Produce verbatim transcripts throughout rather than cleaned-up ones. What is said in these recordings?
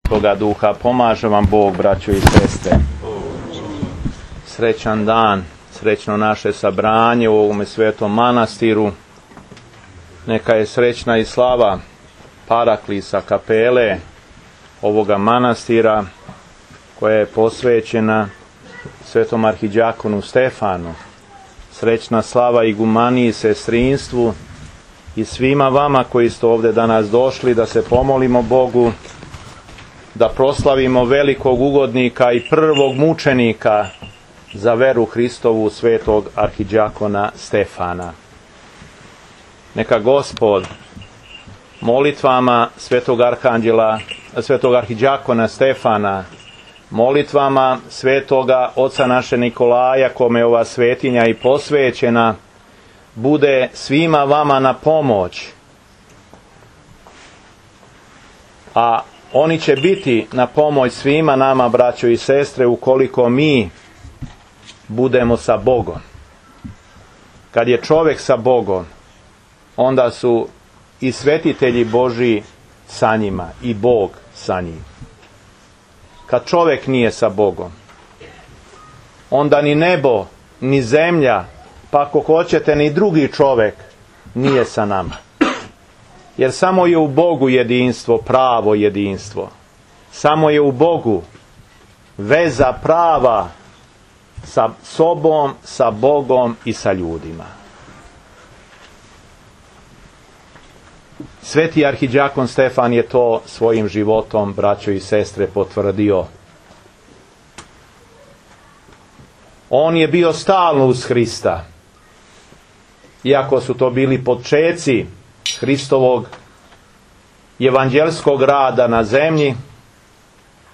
toga duha. Pomaže vam Bog, braćo i sestre. Srećan dan, srećno naše sabranje u ovome svetom manastiru. Neka je srećna i slava Paraklisa, kapele ovoga manastira, koja je posvećena svetom arhidjakonu Stefanu. Srećna slava igumaniji, sestrinstvu i svima vama koji ste ovdje danas došli da se pomolimo Bogu, da proslavimo velikog ugodnika i prvog mučenika za veru Hristovu, svetog arhidjakona Stefana. Neka Gospod molitvama svetog arhanđela, svetog arhidjakona Stefana, molitvama svetoga oca naše Nikolaja, kome ova svetinja i posvećena, bude svima vama na pomoć, a oni će biti na pomoć svima nama, braćo i sestre, ukoliko mi budemo sa Bogom. Kad je čovjek sa Bogom, onda su i svetitelji Božji sa njima i Bog sa njim. Kad čovjek nije sa Bogom, onda ni nebo, ni zemlja, pa ako hoćete ni drugi čovjek nije sa nama. Jer samo je u Bogu jedinstvo, pravo jedinstvo. Samo je u Bogu veza prava sa sobom, sa Bogom i sa ljudima. Sveti arhidjakon Stefan je to svojim životom, braćo i sestre, potvrdio. On je bio stalno uz Hrista. Iako su to bili počeci Hristovog evanđelskog rada na zemlji,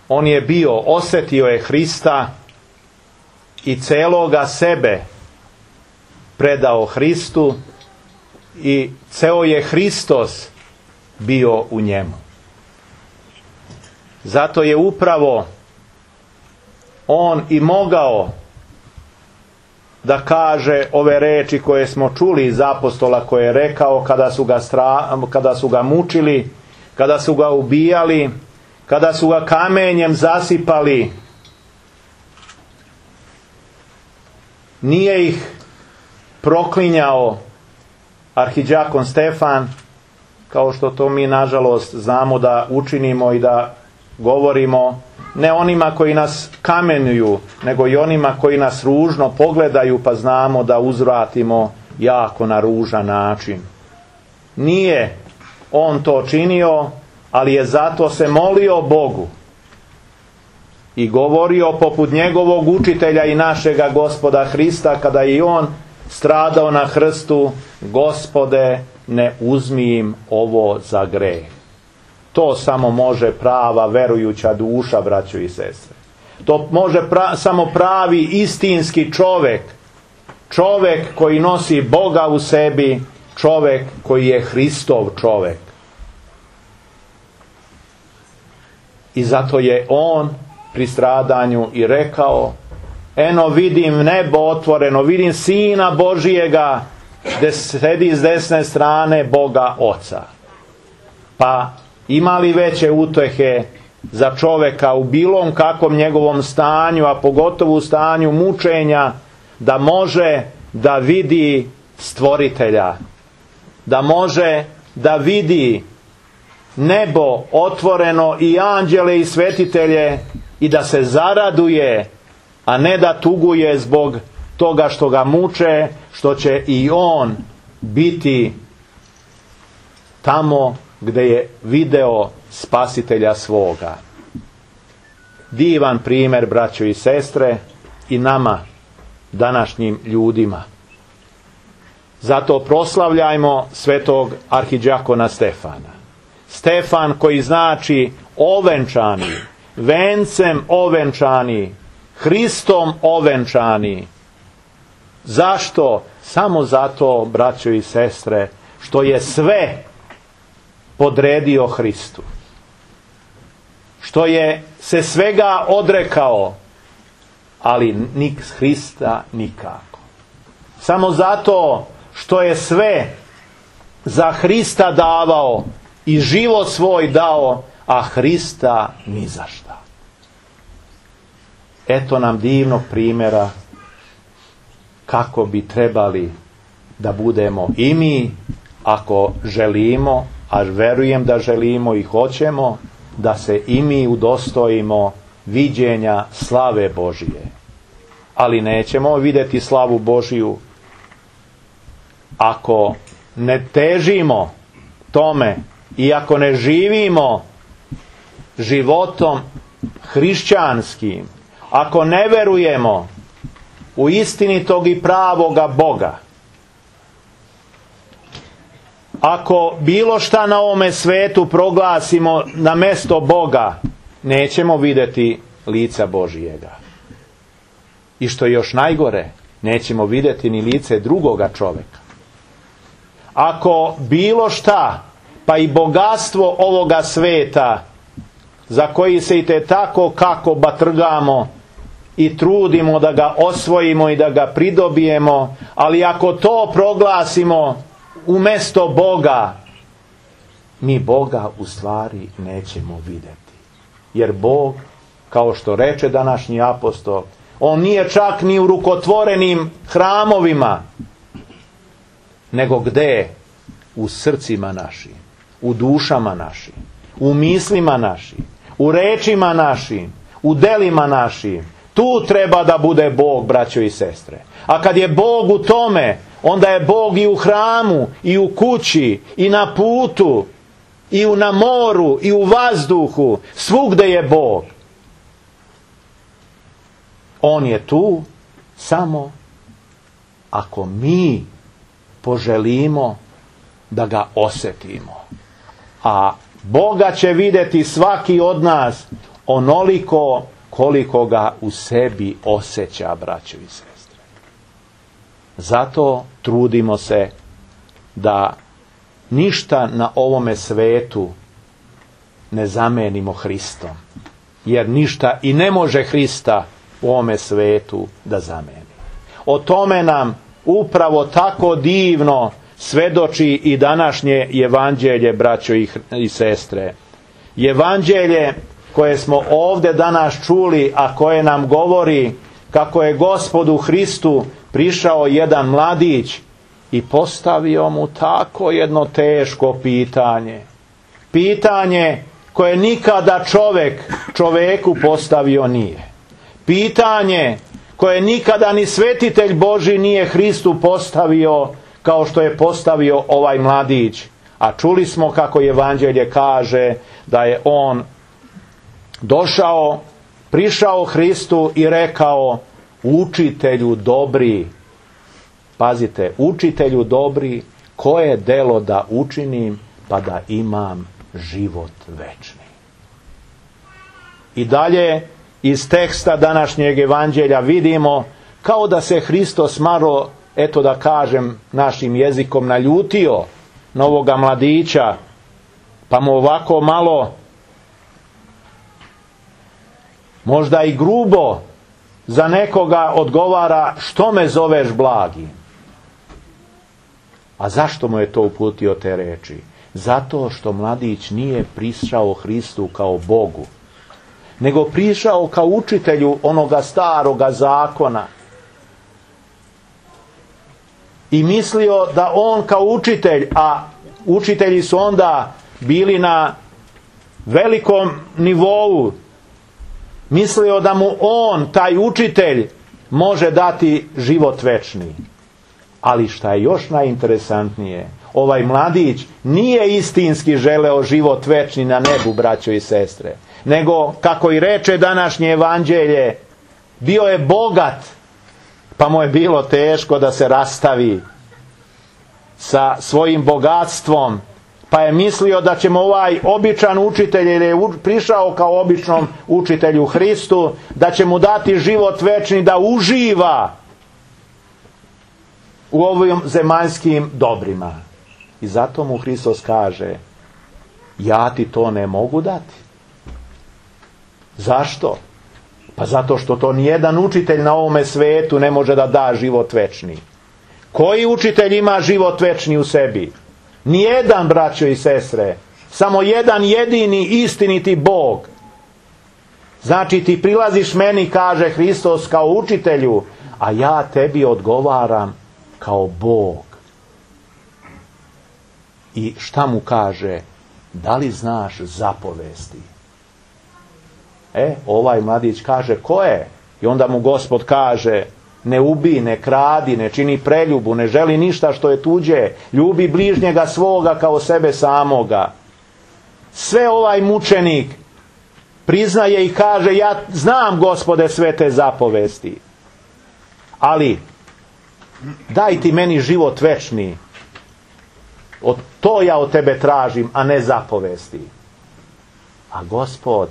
on je bio, osjetio je Hrista i celoga sebe predao Hristu i ceo je Hristos bio u njemu. Zato je upravo on i mogao da kaže ove reči koje smo čuli iz apostola, koje je rekao kada su ga, stra, kada su ga mučili, kada su ga ubijali, kada su ga kamenjem zasipali. Nije ih proklinjao arhidjakon Stefan, kao što to mi nažalost znamo da učinimo i da govorimo, ne onima koji nas kamenjuju, nego i onima koji nas ružno pogledaju, pa znamo da uzvratimo jako na ružan način. Nije on to činio, ali je zato se molio Bogu i govorio poput njegovog učitelja i našega Gospoda Hrista, kada je i on stradao na krstu: Gospode, ne uzmi im ovo za greh. To samo može prava verujuća duša, braćo i sestre. To može pra, samo pravi istinski čovjek. Čovjek koji nosi Boga u sebi, čovjek koji je Hristov čovjek. I zato je on pri stradanju i rekao: eno vidim nebo otvoreno, vidim Sina Božijega gdje sedi s desne strane Boga Oca. Pa ima li veće utehe za čovjeka u bilom kakvom njegovom stanju, a pogotovo u stanju mučenja, da može da vidi Stvoritelja, da može da vidi nebo otvoreno i anđele i svetitelje i da se zaraduje, a ne da tuguje zbog toga što ga muče, što će i on biti tamo gdje je video Spasitelja svoga. Divan primjer, braćo i sestre, i nama, današnjim ljudima. Zato proslavljajmo svetog arhidjakona Stefana. Stefan koji znači ovenčani, vencem ovenčani, Hristom ovenčani. Zašto? Samo zato, braćo i sestre, što je sve podredio Hristu. Što je se svega odrekao, ali nik Hrista nikako. Samo zato što je sve za Hrista davao i život svoj dao, a Hrista ni za šta. Eto nam divnog primjera kako bi trebali da budemo i mi, ako želimo, a verujem da želimo i hoćemo, da se i mi udostojimo viđenja slave Božije. Ali nećemo vidjeti slavu Božiju ako ne težimo tome i ako ne živimo životom hrišćanskim, ako ne verujemo u istinitog i pravoga Boga, ako bilo šta na ovome svetu proglasimo na mesto Boga, nećemo vidjeti lica Božijega. I što je još najgore, nećemo vidjeti ni lice drugoga čovjeka. Ako bilo šta, pa i bogatstvo ovoga sveta, za koji se i te tako kako batrgamo i trudimo da ga osvojimo i da ga pridobijemo, ali ako to proglasimo umjesto Boga, mi Boga u stvari nećemo vidjeti. Jer Bog, kao što reče današnji apostol, on nije čak ni u rukotvorenim hramovima, nego gde? U srcima našim, u dušama našim, u mislima našim, u rečima našim, u delima našim. Tu treba da bude Bog, braćo i sestre. A kad je Bog u tome, onda je Bog i u hramu, i u kući, i na putu, i u na moru, i u vazduhu. Svugde je Bog. On je tu samo ako mi poželimo da ga osjetimo. A Boga će vidjeti svaki od nas onoliko koliko ga u sebi osjeća, braćo i sestre. Zato trudimo se da ništa na ovome svetu ne zamenimo Hristom. Jer ništa i ne može Hrista u ovome svetu da zameni. O tome nam upravo tako divno svedoči i današnje evanđelje, braćo i sestre. Evanđelje koje smo ovdje danas čuli, a koje nam govori kako je Gospodu Hristu prišao jedan mladić i postavio mu tako jedno teško pitanje. Pitanje koje nikada čovjek čovjeku postavio nije. Pitanje koje nikada ni svetitelj Božji nije Hristu postavio kao što je postavio ovaj mladić. A čuli smo kako evanđelje kaže da je on došao, prišao Hristu i rekao: učitelju dobri, pazite, učitelju dobri, koje delo da učinim pa da imam život večni. I dalje iz teksta današnjeg evanđelja vidimo kao da se Hristos malo, eto da kažem našim jezikom, naljutio na ovoga mladića, pa mu ovako malo, možda i grubo, za nekoga odgovara: što me zoveš blagim? A zašto mu je to uputio te reči? Zato što mladić nije prišao Hristu kao Bogu, nego prišao kao učitelju onoga staroga zakona. I mislio da on kao učitelj, a učitelji su onda bili na velikom nivou, mislio da mu on, taj učitelj, može dati život večni. Ali šta je još najinteresantnije, ovaj mladić nije istinski želeo život večni na nebu, braćo i sestre, nego, kako i reče današnje evanđelje, bio je bogat, pa mu je bilo teško da se rastavi sa svojim bogatstvom, pa je mislio da će mu ovaj običan učitelj, jer je prišao kao običnom učitelju Hristu, da će mu dati život večni, da uživa u ovim zemaljskim dobrima. I zato mu Hristos kaže: ja ti to ne mogu dati. Zašto? Pa zato što to nijedan učitelj na ovome svetu ne može da da život večni. Koji učitelj ima život večni u sebi? Nijedan, braćo i sestre. Samo jedan jedini istiniti Bog. Znači ti prilaziš meni, kaže Hristos, kao učitelju, a ja tebi odgovaram kao Bog. I šta mu kaže? Da li znaš zapovesti? E, ovaj mladić kaže, ko je? I onda mu Gospod kaže, ne ubij, ne kradi, ne čini preljubu, ne želi ništa što je tuđe, ljubi bližnjega svoga kao sebe samoga. Sve ovaj mučenik priznaje i kaže, ja znam, Gospode, sve te zapovesti, ali daj ti meni život večni. Od, to ja od tebe tražim, a ne zapovesti. A Gospod,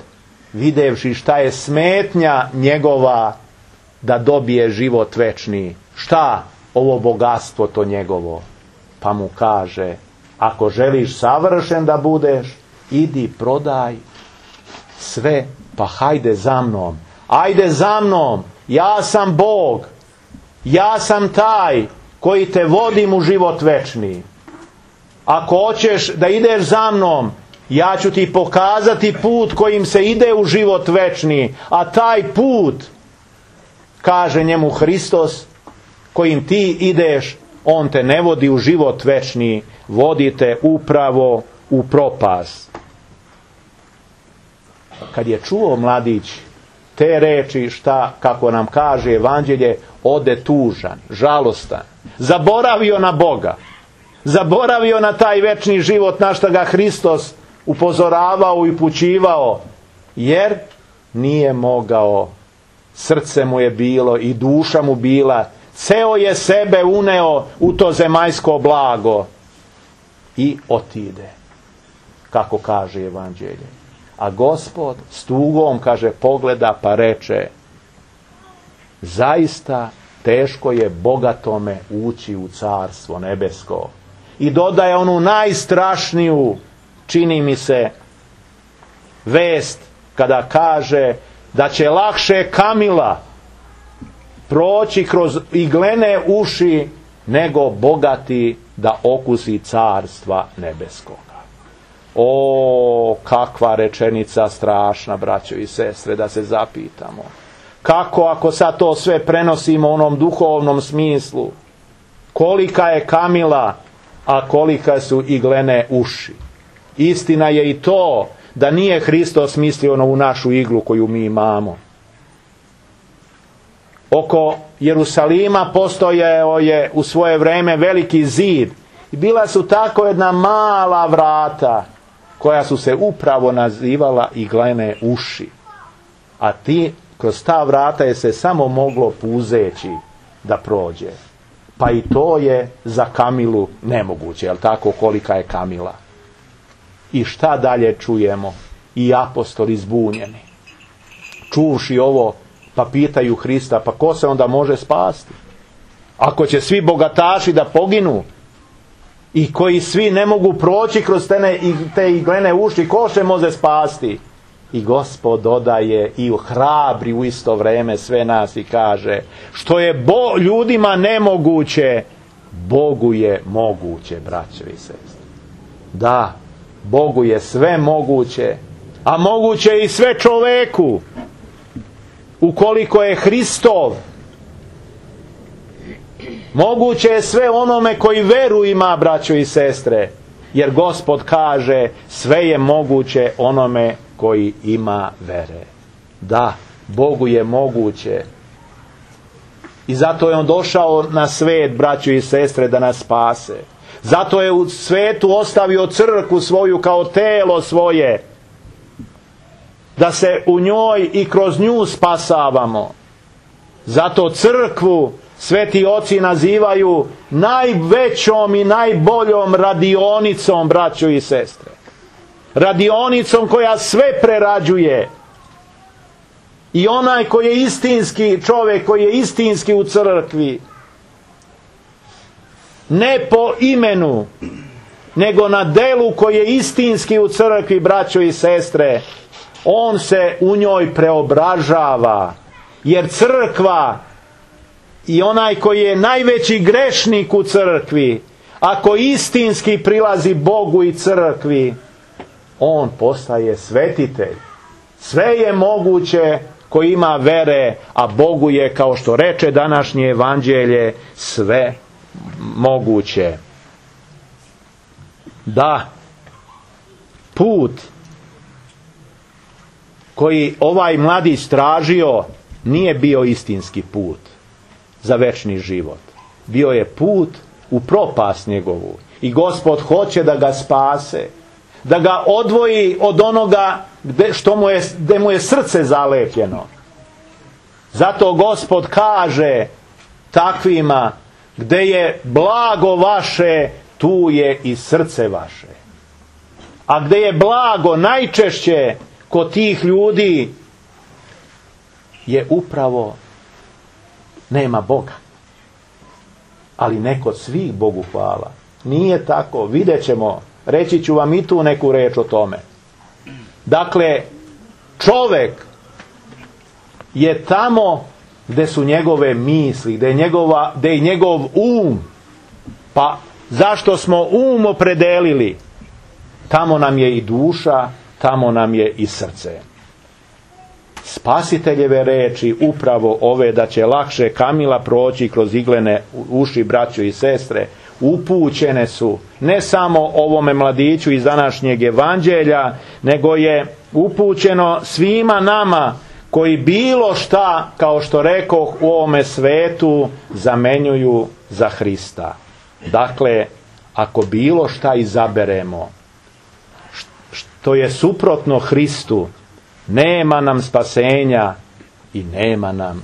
videvši šta je smetnja njegova da dobije život večni, šta ovo bogatstvo to njegovo, pa mu kaže, ako želiš savršen da budeš, idi prodaj sve, pa hajde za mnom. Ajde za mnom, ja sam Bog, ja sam taj koji te vodim u život večni. Ako hoćeš da ideš za mnom, ja ću ti pokazati put kojim se ide u život večni, a taj put, kaže njemu Hristos, kojim ti ideš, on te ne vodi u život večni, vodi te upravo u propast. Kad je čuo mladić te reči, šta, kako nam kaže Evanđelje, ode tužan, žalostan, zaboravio na Boga, zaboravio na taj večni život na što ga Hristos upozoravao i upućivao, jer nije mogao, srce mu je bilo i duša mu bila, ceo je sebe uneo u to zemaljsko blago i otide, kako kaže Evanđelje. A Gospod s tugom, kaže, pogleda pa reče, zaista teško je bogatome ući u carstvo nebesko. I dodaje onu najstrašniju, čini mi se, vest kada kaže da će lakše kamila proći kroz iglene uši nego bogati da okusi carstva nebeskoga. O, kakva rečenica strašna, braćo i sestre, da se zapitamo. Kako ako sad to sve prenosimo u onom duhovnom smislu? Kolika je kamila, a kolika su iglene uši? Istina je i to da nije Hristos mislio na ovu našu iglu koju mi imamo. Oko Jerusalima postojao je u svoje vreme veliki zid i bila su tako jedna mala vrata koja su se upravo nazivala iglene uši. A ti, kroz ta vrata je se samo moglo puzeći da prođe. Pa i to je za kamilu nemoguće, jel tako, kolika je kamila. I šta dalje čujemo? I apostoli zbunjeni. Čuvši ovo, pa pitaju Hrista, pa ko se onda može spasti? Ako će svi bogataši da poginu i koji svi ne mogu proći kroz te, te iglene uši, ko se može spasti? I Gospod dodaje i hrabri u isto vreme sve nas i kaže, što je bo, ljudima nemoguće, Bogu je moguće, braćo i sestre. Da, Bogu je sve moguće, a moguće i sve čoveku, ukoliko je Hristov. Moguće je sve onome koji veru ima, braćo i sestre, jer Gospod kaže, sve je moguće onome koji ima vere. Da, Bogu je moguće. I zato je on došao na svet, braćo i sestre, da nas spase. Zato je u svetu ostavio crkvu svoju kao telo svoje, da se u njoj i kroz nju spasavamo. Zato crkvu sveti oci nazivaju najvećom i najboljom radionicom, braćo i sestre. Radionicom koja sve prerađuje. I onaj koji je istinski čovjek, koji je istinski u crkvi, ne po imenu, nego na delu koji je istinski u crkvi, braćo i sestre, on se u njoj preobražava. Jer crkva i onaj koji je najveći grešnik u crkvi, ako istinski prilazi Bogu i crkvi, on postaje svetitelj. Sve je moguće ko ima vere, a Bogu je, kao što reče današnje evanđelje, sve moguće. Da, put koji ovaj mladić tražio nije bio istinski put za večni život. Bio je put u propast njegovu. I Gospod hoće da ga spase, da ga odvoji od onoga gde, što mu je, gde mu je srce zalepljeno. Zato Gospod kaže takvima: gde je blago vaše, tu je i srce vaše. A gde je blago najčešće kod tih ljudi, je upravo nema Boga. Ali ne kod svih, Bogu hvala. Nije tako, vidjet ćemo, reći ću vam i tu neku reč o tome. Dakle, čovjek je tamo gde su njegove misli, gde je, njegova, gde je njegov um. Pa zašto smo um opredelili? Tamo nam je i duša, tamo nam je i srce. Spasiteljeve reči, upravo ove, da će lakše kamila proći kroz iglene uši, braćo i sestre, upućene su ne samo ovome mladiću iz današnjeg evanđelja, nego je upućeno svima nama koji bilo šta, kao što rekoh, u ovome svetu zamenjuju za Hrista. Dakle, ako bilo šta izaberemo što je suprotno Hristu, nema nam spasenja i nema nam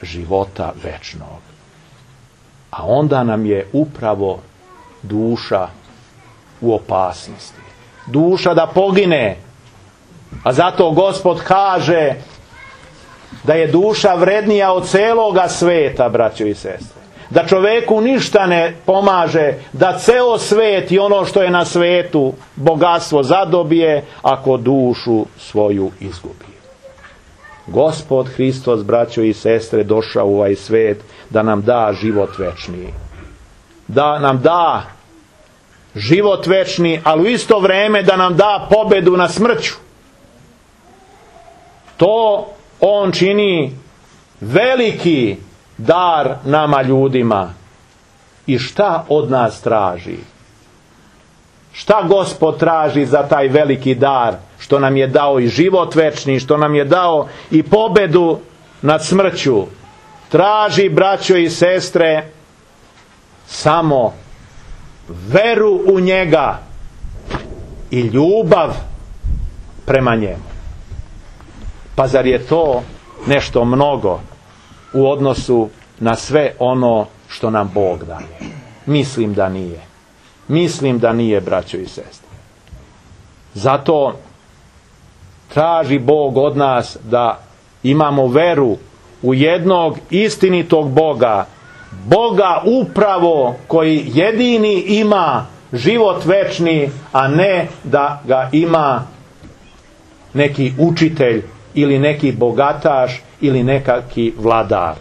života večnog. A onda nam je upravo duša u opasnosti. Duša da pogine. A zato Gospod kaže da je duša vrednija od celoga sveta, braćo i sestre. Da čoveku ništa ne pomaže da ceo svet i ono što je na svetu bogatstvo zadobije, ako dušu svoju izgubi. Gospod Hristos, braćo i sestre, došao u ovaj svet da nam da život večni. Da nam da život večni, ali u isto vrijeme da nam da pobedu na smrću. To on čini veliki dar nama ljudima. I šta od nas traži? Šta Gospod traži za taj veliki dar, što nam je dao i život večni, što nam je dao i pobedu nad smrću? Traži, braćo i sestre, samo veru u njega i ljubav prema njemu. Pa zar je to nešto mnogo u odnosu na sve ono što nam Bog daje? Mislim da nije. Mislim da nije, braćo i sestre. Zato traži Bog od nas da imamo veru u jednog istinitog Boga. Boga upravo koji jedini ima život večni, a ne da ga ima neki učitelj ili neki bogataš ili nekaki vladar.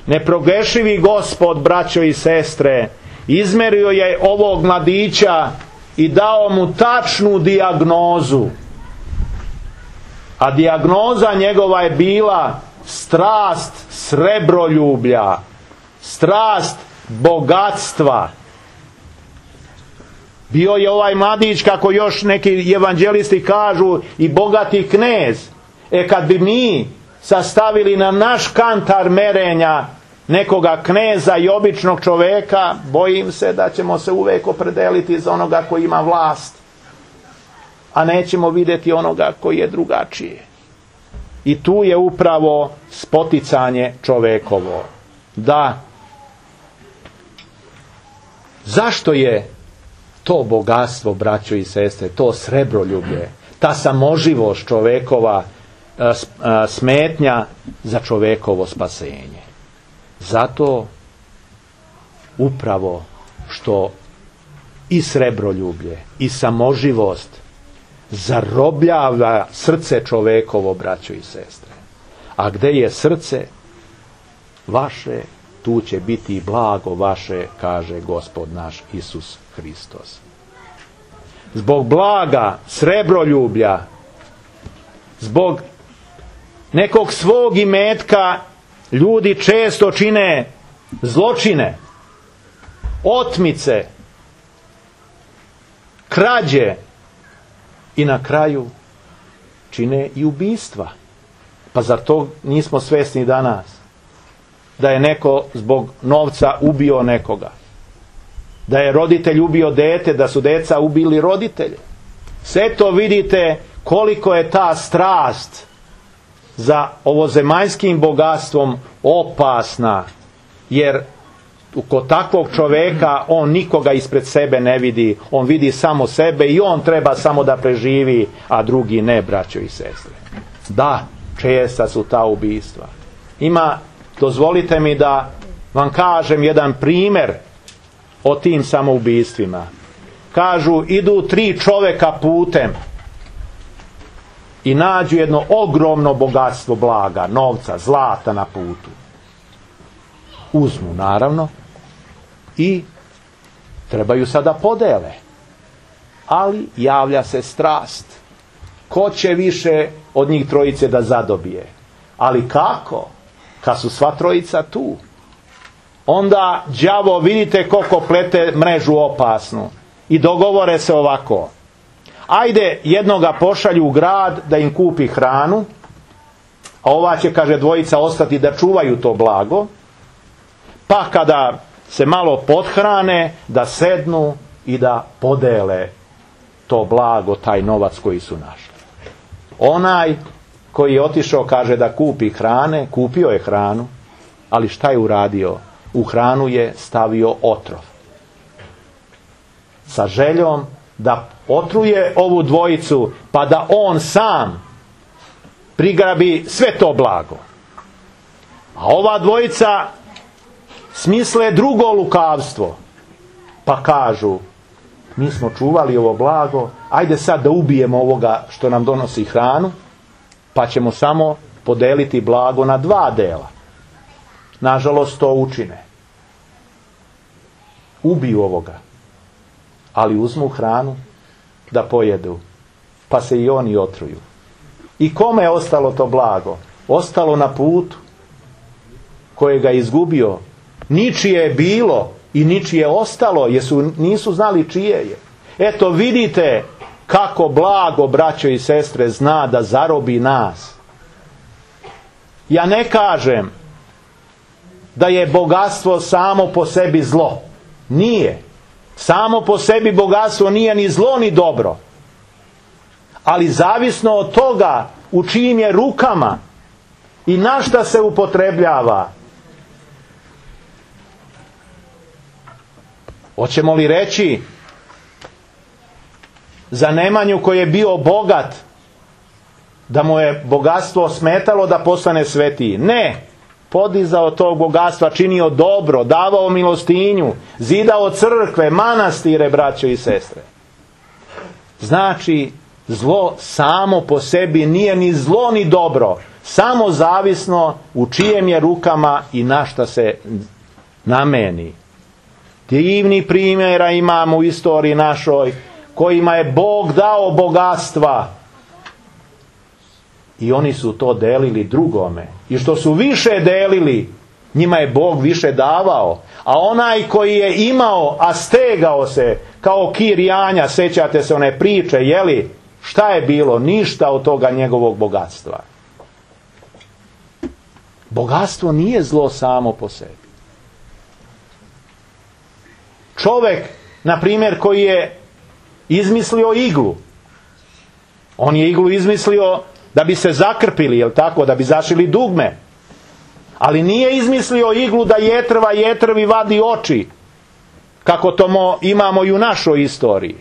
Neprogešivi Gospod, braćo i sestre, izmerio je ovog mladića i dao mu tačnu dijagnozu. A dijagnoza njegova je bila strast srebroljublja, strast bogatstva. Bio je ovaj mladić, kako još neki evanđelisti kažu, i bogati knez. E kad bi mi sastavili na naš kantar merenja nekoga kneza i običnog čoveka, bojim se da ćemo se uvijek opredeliti za onoga koji ima vlast, a nećemo vidjeti onoga koji je drugačiji. I tu je upravo spoticanje čovekovo. Da, zašto je to bogatstvo, braćo i sestre, to srebroljublje, ta samoživost čovekova smetnja za čovekovo spasenje? Zato upravo što i srebroljublje i samoživost zarobljava srce čovekovo, braćo i sestre. A gde je srce vaše, tu će biti i blago vaše, kaže Gospod naš Isus Hristos. zbog blaga, srebroljublja, zbog nekog svog imetka, ljudi često čine zločine, otmice, krađe i na kraju čine i ubistva. Pa zar to nismo svjesni danas? Da je neko zbog novca ubio nekoga. Da je roditelj ubio dete, da su deca ubili roditelje. Sve to vidite koliko je ta strast za ovozemaljskim bogatstvom opasna. Jer kod takvog čoveka on nikoga ispred sebe ne vidi. On vidi samo sebe i on treba samo da preživi, a drugi ne, braćo i sestre. Da, česta su ta ubistva. Ima, dozvolite mi da vam kažem jedan primjer o tim samoubistvima. Kažu, idu tri čoveka putem i nađu jedno ogromno bogatstvo blaga, novca, zlata na putu. Uzmu, naravno, i trebaju sada podele. Ali javlja se strast. Ko će više od njih trojice da zadobije? Ali kako? Kad su sva trojica tu. Onda đavo, vidite koliko plete mrežu opasnu. I dogovore se ovako. Ajde, jednoga pošalju u grad da im kupi hranu, a ova će, kaže, dvojica ostati da čuvaju to blago, pa kada se malo pothrane, da sednu i da podele to blago, taj novac koji su našli. Onaj koji je otišao, kaže, da kupi hrane, kupio je hranu, ali šta je uradio? U hranu je stavio otrov. Sa željom da otruje ovu dvojicu, pa da on sam prigrabi sve to blago. A ova dvojica smisle drugo lukavstvo. Pa kažu, mi smo čuvali ovo blago, ajde sad da ubijemo ovoga što nam donosi hranu, pa ćemo samo podeliti blago na dva dela. Nažalost, to učine. Ubiju ovoga, ali uzmu hranu da pojedu, pa se i oni otruju. I kome je ostalo to blago? Ostalo na putu kojega je izgubio. Ničije je bilo i ničije ostalo, jer su, nisu znali čije je. Eto, vidite kako blago, braćo i sestre, zna da zarobi nas. Ja ne kažem da je bogatstvo samo po sebi zlo. Nije. Samo po sebi bogatstvo nije ni zlo ni dobro. Ali zavisno od toga u čijim je rukama i na šta se upotrebljava. Hoćemo li reći za Nemanju koji je bio bogat da mu je bogatstvo smetalo da postane svetiji? Ne. Podizao tog bogatstva, činio dobro, davao milostinju, zidao crkve, manastire, braćo i sestre. Znači, zlo samo po sebi nije ni zlo ni dobro, samo zavisno u čijem je rukama i na šta se nameni. Divni primjera imamo u istoriji našoj, kojima je Bog dao bogatstva. I oni su to delili drugome. I što su više delili, njima je Bog više davao. A onaj koji je imao, a stegao se, kao kir janja, sećate se one priče, jeli? Šta je bilo? Ništa od toga njegovog bogatstva. Bogatstvo nije zlo samo po sebi. Čovjek, na primjer, koji je izmislio iglu. On je iglu izmislio da bi se zakrpili, jel tako, da bi zašili dugme. Ali nije izmislio iglu da jetrva jetrvi vadi oči, kako to mo, imamo i u našoj istoriji.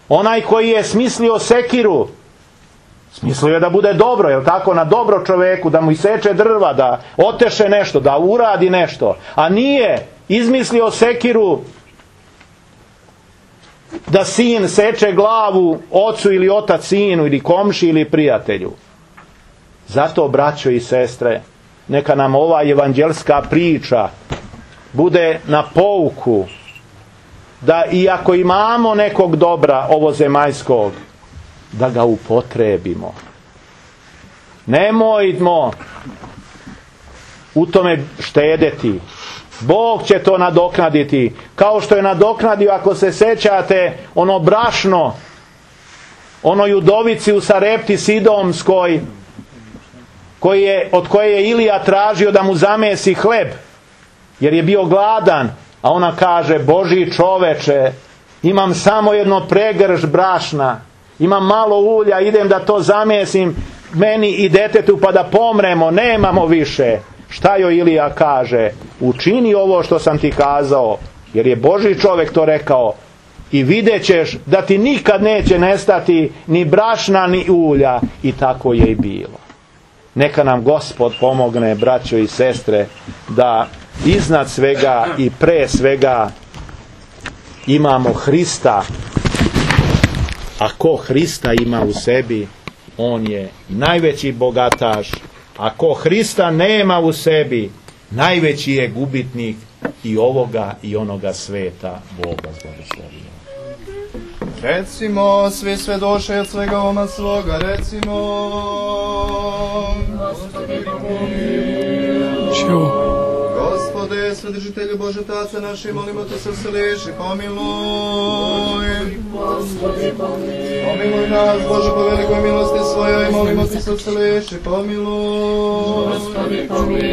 Onaj koji je smislio sekiru, smislio je da bude dobro, jel tako, na dobro čoveku, da mu iseče drva, da oteše nešto, da uradi nešto. A nije izmislio sekiru da sin seče glavu ocu ili otac sinu ili komši ili prijatelju. Zato, braćo i sestre, neka nam ova evanđelska priča bude na pouku da iako imamo nekog dobra ovozemaljskog, da ga upotrebimo. Nemojmo u tome štedeti. Bog će to nadoknaditi. Kao što je nadoknadio, ako se sećate, ono brašno, onoj udovici u Sarepti Sidomskoj, koji je, od koje je Ilija tražio da mu zamesi hleb, jer je bio gladan, a ona kaže: Božji čoveče, imam samo jedno pregrš brašna, imam malo ulja, idem da to zamesim meni i detetu pa da pomremo, nemamo više. Šta joj Ilija kaže? Učini ovo što sam ti kazao, jer je Božji čovjek to rekao, i vidjet ćeš da ti nikad neće nestati ni brašna ni ulja. I tako je i bilo. Neka nam Gospod pomogne, braćo i sestre, da iznad svega i pre svega imamo Hrista. A ko Hrista ima u sebi, on je najveći bogataš. A ko Hrista nema u sebi, najveći je gubitnik i ovoga i onoga sveta. Boga zbogoslovio. Recimo, svi svedoše od svega oma svoga, recimo: Gospodi pomiluj. Gospode, svedržitelju Bože Tace naši, molimo te se vseliši, pomiluj. Gospodi pomiluj. Pomiluj nas, Bože, po velikoj milosti svojoj, molimo te se vseliši, pomiluj. Gospodi pomiluj.